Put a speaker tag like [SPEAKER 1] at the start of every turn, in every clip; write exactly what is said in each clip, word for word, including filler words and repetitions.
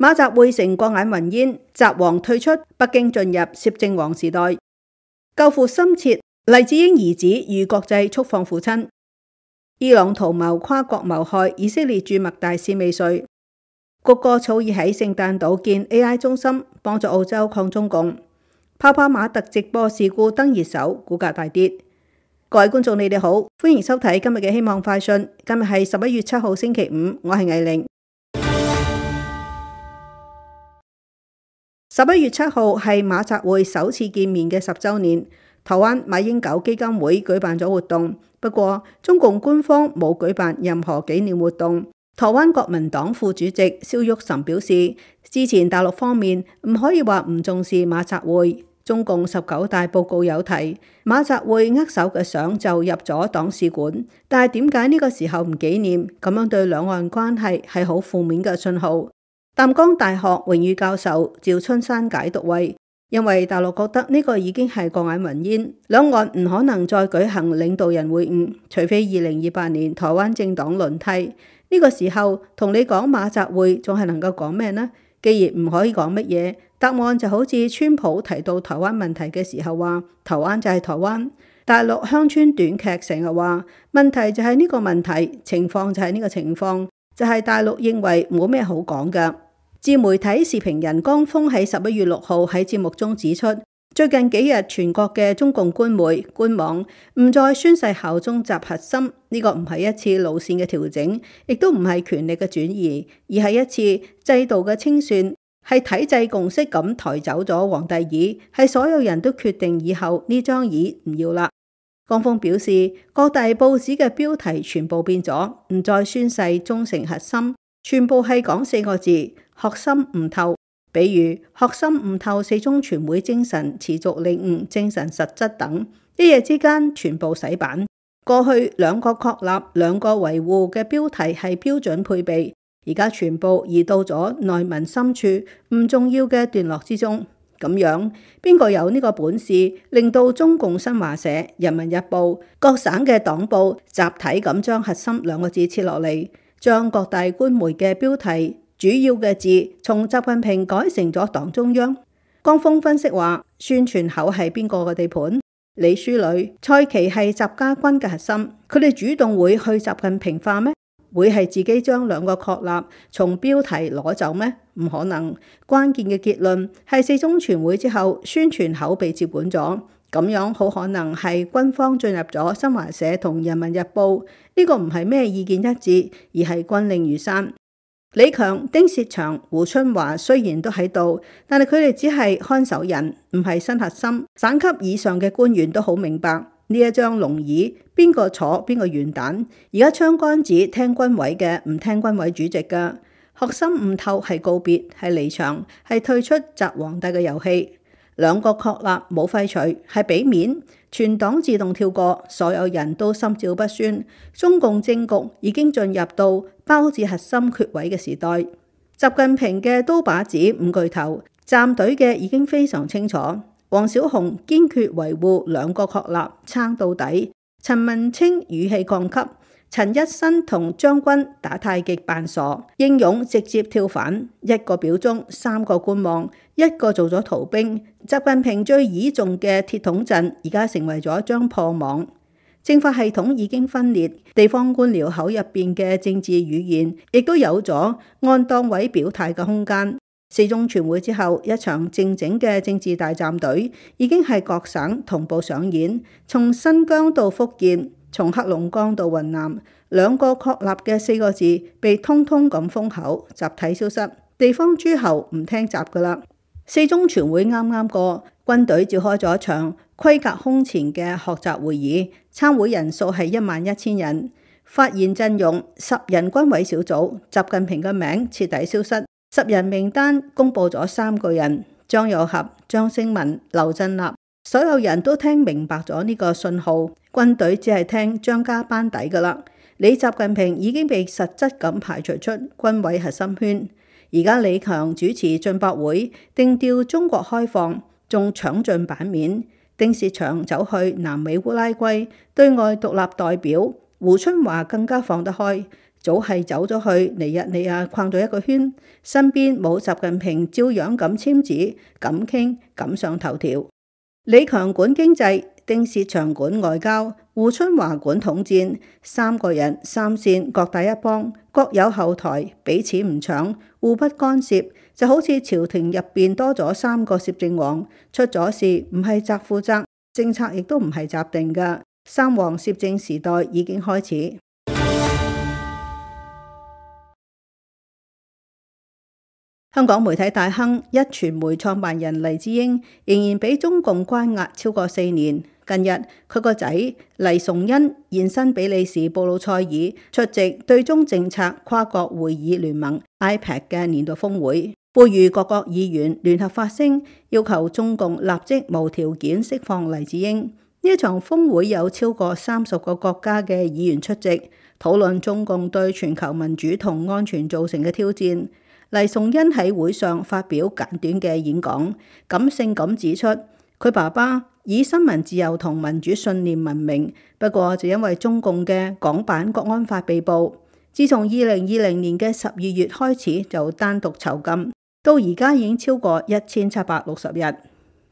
[SPEAKER 1] 馬習會成過眼雲煙，習王退出，北京進入攝政王時代。救父心切，黎智英兒子遇國際速放父親。伊朗圖謀跨國謀害以色列駐麥大使未遂。谷歌草擬喺聖誕島建 A I 中心，幫助澳洲抗中共。泡泡瑪特直播事故登熱搜，股價大跌。各位觀眾，你哋好，歡迎收睇今日嘅希望快訊。今日係十一月七號星期五，我係藝玲。十一月七號係馬習會首次見面嘅十週年，台灣馬英九基金會舉辦咗活動，不過中共官方冇舉辦任何紀念活動。台灣國民黨副主席蕭旭岑表示，之前大陸方面唔可以話唔重視馬習會，中共十九大報告有提馬習會握手嘅相就入咗黨史館，但係點解呢個時候唔紀念？咁樣對兩岸關係係好負面嘅信號。淡江大學榮譽教授趙春山解讀為，因為大陸覺得呢個已經係過眼雲煙，兩岸唔可能再舉行領導人會晤，除非二零二八年台灣政黨輪替。呢個時候同你講馬習會仲係能夠講咩呢？既然唔可以講乜嘢，答案就好似川普提到台灣問題嘅時候話，台灣就係台灣。大陸鄉村短劇成日話，問題就係呢個問題，情況就係呢個情況，就係大陸認為冇咩好講㗎。自媒體時評人江峰喺十一月六號喺節目中指出，最近幾日全國嘅中共官媒官網唔再宣誓效忠習核心，呢個唔係一次路線嘅調整，亦都唔係權力嘅轉移，而係一次制度嘅清算，係體制共識咁抬走咗皇帝椅，係所有人都決定以後呢張椅唔要啦。江峰表示，各大報紙嘅標題全部變咗，唔再宣誓忠誠核心，全部係講四個字：學心悟透。比如學心悟透四中全會精神，持續領悟精神實質等，一夜之間全部洗版。過去兩個確立、兩個維護嘅標題係標準配備，而家全部移到咗內文深處唔重要嘅段落之中。咁樣邊個有呢個本事令到中共新華社、人民日報、各省嘅黨報集體咁將核心兩個字切落嚟，將各大官媒嘅標題主要嘅字從習近平改成咗黨中央。江峰分析話，宣傳口係邊個嘅地盤？李書磊、蔡奇係習家軍嘅核心，佢哋主動會去習近平化咩？會係自己將兩個確立從標題攞走咩？唔可能。關鍵嘅結論係四中全會之後，宣傳口被接管咗，咁樣好可能係軍方進入咗新華社同人民日報。呢個唔係咩意見一致，而係軍令如山。李強、丁薛祥、胡春華雖然都喺度，但係佢哋只係看守人，唔係新核心。省級以上嘅官員都好明白呢一張龍椅邊個坐邊個完蛋。而家槍桿子聽軍委嘅，唔聽軍委主席嘅。學心悟透係告別，係離場，係退出習皇帝嘅遊戲。兩個確立冇廢除，係俾面，全黨自動跳過，所有人都心照不宣。中共政局已經進入到包治核心缺位嘅時代。習近平嘅刀把子五巨頭站隊嘅已經非常清楚。王小洪堅決維護兩個確立，撐到底。陳文清語氣降級。陳一新同張軍打太極扮傻，英勇直接跳反，一個表忠，三個觀望，一個做咗逃兵。習近平最倚重嘅鐵桶陣，而家成為咗一張破網。政法系統已經分裂，地方官僚口入邊嘅政治語言，亦都有咗按黨委表態嘅空間。四中全會之後，一場靜靜嘅政治大站隊，已經係各省同步上演，從新疆到福建，從黑龍江到雲南，兩個確立嘅四個字被通通咁封口，集體消失。地方諸侯唔聽習噶啦。四中全會啱啱過，軍隊召開咗一場規格空前嘅學習會議，參會人數係一萬一千人，發言陣容十人軍委小組，習近平嘅名徹底消失。十人名單公布咗三個人：張又俠、張聲文、劉振立。所有人都聽明白咗呢個信號，軍隊只係聽張家班底噶啦。李習近平已經被實質咁排除出軍委核心圈。而家李強主持進博會，定調中國開放，仲搶盡版面。丁薛祥走去南美烏拉圭，對外獨立代表。胡春華更加放得開，早係走咗去尼日利亞逛咗一個圈，身邊冇習近平照樣咁簽字、咁傾、咁上頭條。李強管經濟，丁薛祥管外交，胡春華管統戰，三個人三線各打一幫，各有後台，彼此唔搶，互不干涉，就好似朝廷入邊多咗三個攝政王，出咗事唔係習負責，政策亦都唔係習定㗎。三王攝政時代已經開始。香港媒體大亨壹傳媒創辦人黎智英仍然俾中共關押超過四年。近日佢個仔黎崇恩現身比利時布魯塞爾出席對中政策跨國會議聯盟 I P A C 嘅年度峰會，呼籲各國議員聯合發聲，要求中共立即無條件釋放黎智英。呢一場峰會有超過三十個國家嘅議員出席，討論中共對全球民主同安全造成嘅挑戰。黎崇恩喺會上發表簡短嘅演講，感性咁指出，佢爸爸以新聞自由同民主信念聞名，不過就因為中共嘅港版國安法被捕。自從二零二零年嘅十二月開始就單獨囚禁，到而家已經超過一千七百六十日。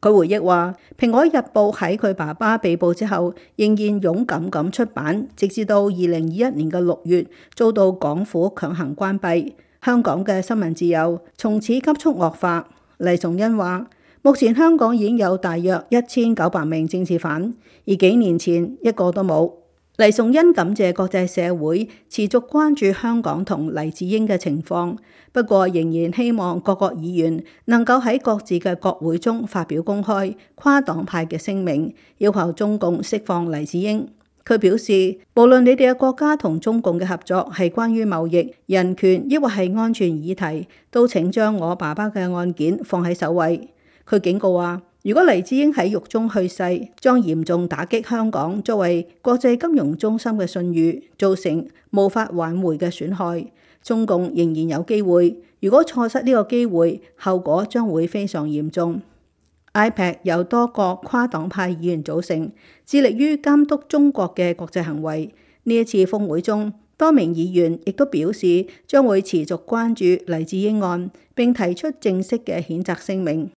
[SPEAKER 1] 佢回憶話，《蘋果日報》喺佢爸爸被捕之後，仍然勇敢咁出版，直至到二零二一年嘅六月遭到港府強行關閉。香港嘅新聞自由從此急速惡化。黎崇恩話，目前香港已經有大約一千九百名政治犯，而幾年前一個都冇。黎崇恩感謝國際社會持續關注香港同黎智英嘅情況，不過仍然希望各國議員能夠喺各自嘅國會中發表公開跨黨派嘅聲明，要求中共釋放黎智英。佢表示，無論你哋嘅國家同中共嘅合作係關於貿易、人權，抑或係安全議題，都請將我爸爸嘅案件放喺首位。佢警告話，如果黎智英喺獄中去世，將嚴重打擊香港作為國際金融中心嘅信譽，造成無法挽回嘅損害。中共仍然有機會，如果錯失呢個機會，後果將會非常嚴重。I P A C 由多個跨黨派議員組成，致力於監督中國嘅國際行為。呢一次峰會中，多名議員亦都表示將會持續關注黎智英案，並提出正式嘅譴責聲明。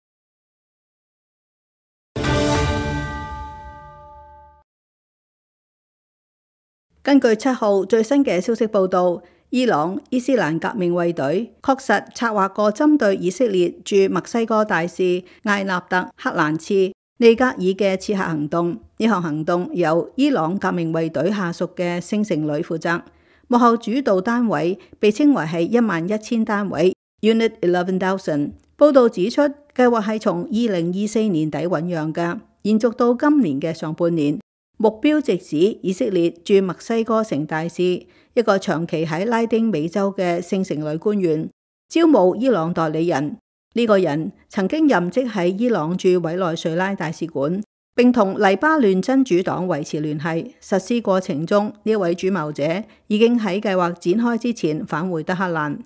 [SPEAKER 1] 根據七號最新嘅消息報導，伊朗伊斯蘭革命衛隊確實策劃過針對以色列駐墨西哥大使艾納特·克蘭茨尼格爾嘅刺客行動。呢項行動由伊朗革命衛隊下屬嘅聖城旅負責，幕後主導單位被稱為係一萬一千單位 Unit Eleven Thousand。報導指出，計劃係從二零二四年底醖釀嘅，延續到今年嘅上半年。目標直指以色列駐墨西哥城大使，一個長期喺拉丁美洲嘅聖城旅官員，招募伊朗代理人。呢、這個人曾經任職喺伊朗駐委內瑞拉大使館，並同黎巴嫩真主黨維持聯繫。實施過程中，呢位主謀者已經喺計劃展開之前返回德黑蘭。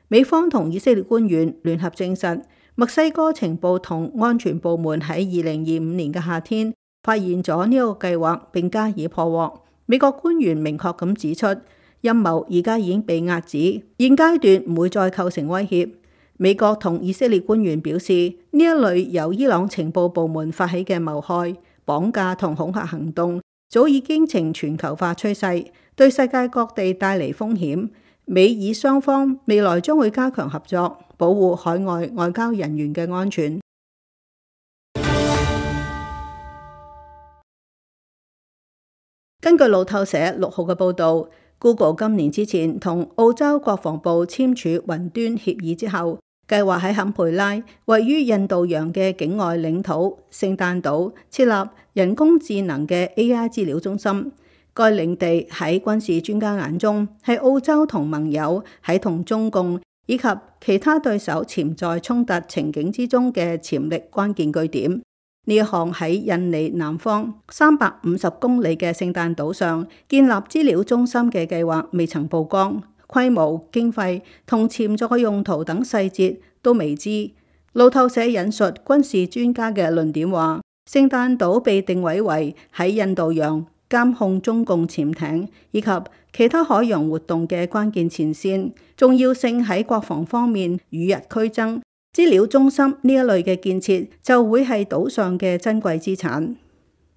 [SPEAKER 1] 美方同以色列官員聯合證實，墨西哥情報同安全部門喺二零二五年嘅夏天發現咗呢個計劃，並加以破獲。美國官員明確咁指出，陰謀而家已經被壓止，現階段唔會再構成威脅。美國同以色列官員表示，呢一類由伊朗情報部門發起嘅謀害、綁架同恐嚇行動，早已經呈全球化趨勢，對世界各地帶嚟風險。美以雙方未來將會加強合作，保護海外外交人員嘅安全。根據路透社六號嘅報導， Google 今年之前同澳洲國防部簽署雲端協議之後，計劃喺坎培拉位於印度洋嘅境外領土聖誕島設立人工智能嘅 A I 資料中心。該領地喺軍事專家眼中係澳洲同盟友喺同中共以及其他對手潛在衝突情景之中嘅潛力關鍵據點。呢一項喺印尼南方三百五十公里嘅聖誕島上建立資料中心嘅計劃未曾曝光，規模、經費同潛在用途等細節都未知。路透社引述軍事專家嘅論點話，聖誕島被定位為喺印度洋監控中共潛艇以及其他海洋活動嘅關鍵前線，重要性喺國防方面與日俱增。資料中心呢一類嘅建設就會係島上嘅珍貴資產。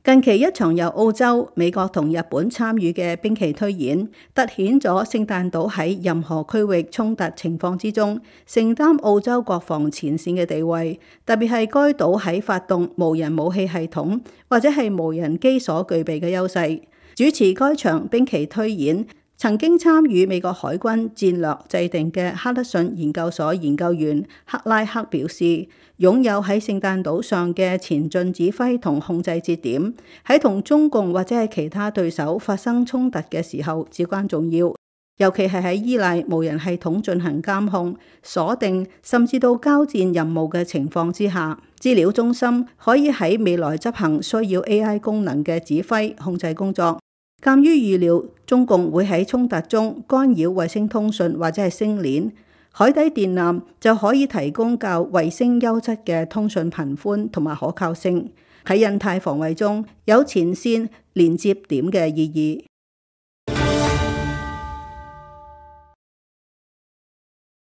[SPEAKER 1] 近期一場由澳洲、美國同日本參與嘅兵棋推演，凸顯咗聖誕島喺任何區域衝突情況之中，承擔澳洲國防前線嘅地位，特別係該島喺發動無人武器系統或者係無人機所具備嘅優勢。主持該場兵棋推演，曾經參與美國海軍戰略制定嘅哈德遜研究所研究員克拉克表示，擁有喺聖誕島上嘅前進指揮同控制節點，喺同中共或者係其他對手發生衝突嘅時候至關重要，尤其係喺依賴無人系統進行監控、鎖定甚至到交戰任務嘅情況之下，資料中心可以喺未來執行需要 A I 功能嘅指揮控制工作。鑑於預料中共會喺衝突中干擾衛星通訊或者係星鏈，海底電纜就可以提供較衛星優質嘅通訊頻寬同埋可靠性，喺印太防衛中有前線連接點嘅意義。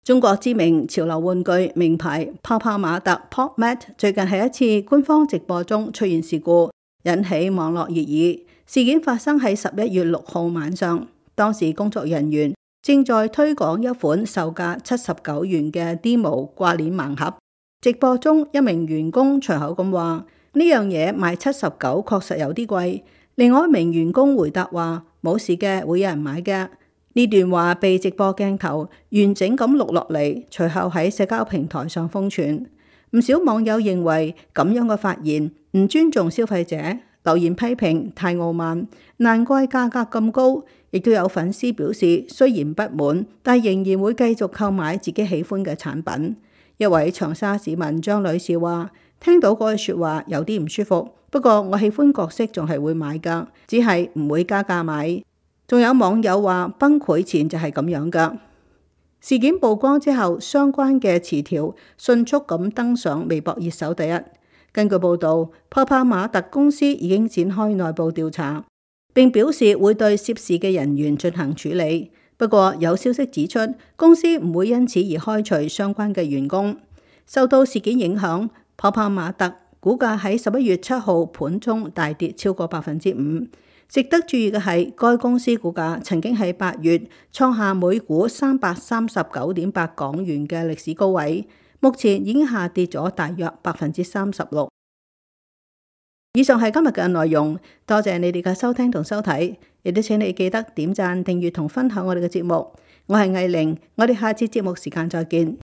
[SPEAKER 1] 中國知名潮流玩具名牌泡泡瑪特 PopMat 最近喺一次官方直播中出現事故，引起網絡熱議。事件發生喺十一月六號晚上，當時工作人員正在推廣一款售價七十九元嘅 Demo 掛鏈盲盒。直播中一名員工隨口咁話：呢樣嘢賣七十九確實有啲貴。另外一名員工回答話：冇事嘅，會有人買嘅。呢段話被直播鏡頭完整咁錄落嚟，隨後喺社交平台上瘋傳。唔少網友認為咁樣嘅發言唔尊重消費者，留言批評太傲慢，難怪價格咁高。亦都有粉絲表示雖然不滿，但仍然會繼續購買自己喜歡嘅產品。一位長沙市民張女士話：聽到嗰句説話有啲唔舒服，不過我喜歡角色仲係會買㗎，只係唔會加價買。仲有網友話崩潰前就係咁樣㗎。事件曝光之後，相關嘅詞條迅速咁登上微博熱搜第一。根據報導，泡泡瑪特公司已經展開內部調查，並表示會對涉事嘅人員進行處理。不過有消息指出，公司唔會因此而開除相關嘅員工。受到事件影響，泡泡瑪特股價喺十一月七號盤中大跌超過百分之五。值得注意嘅係，該公司股價曾經喺八月創下每股三百三十九點八港元嘅歷史高位。目前已經下跌咗大約百分之三十六。以上係今日嘅內容，多謝你哋嘅收聽同收睇，亦都請你記得點讚、訂閱同分享我哋嘅節目。我係藝玲，我哋下次節目時間再見。